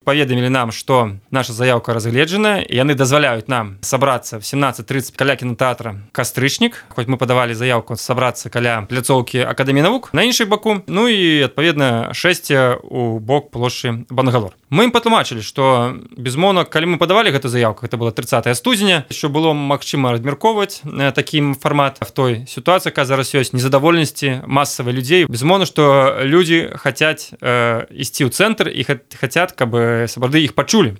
Паведамілі нам, што наша заяўка разгледжана, і яны дазваляюць нам сабрацца в 17:30 каля кінотэатра «Кастрычнік», хоць мы падавалі заяўку сабрацца каля пляцоўкі Акадэміі навук на іншай баку, ну і, адпаведна, 6 у бок плошчы Бангалор. Мы ім патлумачылі, што, безумоўна, калі мы падавалі гэту заяўку, гэта было 30 студзеня, що было магчыма размяркоўваць такім фармат. В той сітуацыі, якая зараз ёсць, незадаволенасці масавай людзей. Безумоўна, што людзі хацяць ісці ў цэнтр і хацяць, каб сапраўды іх пачулі.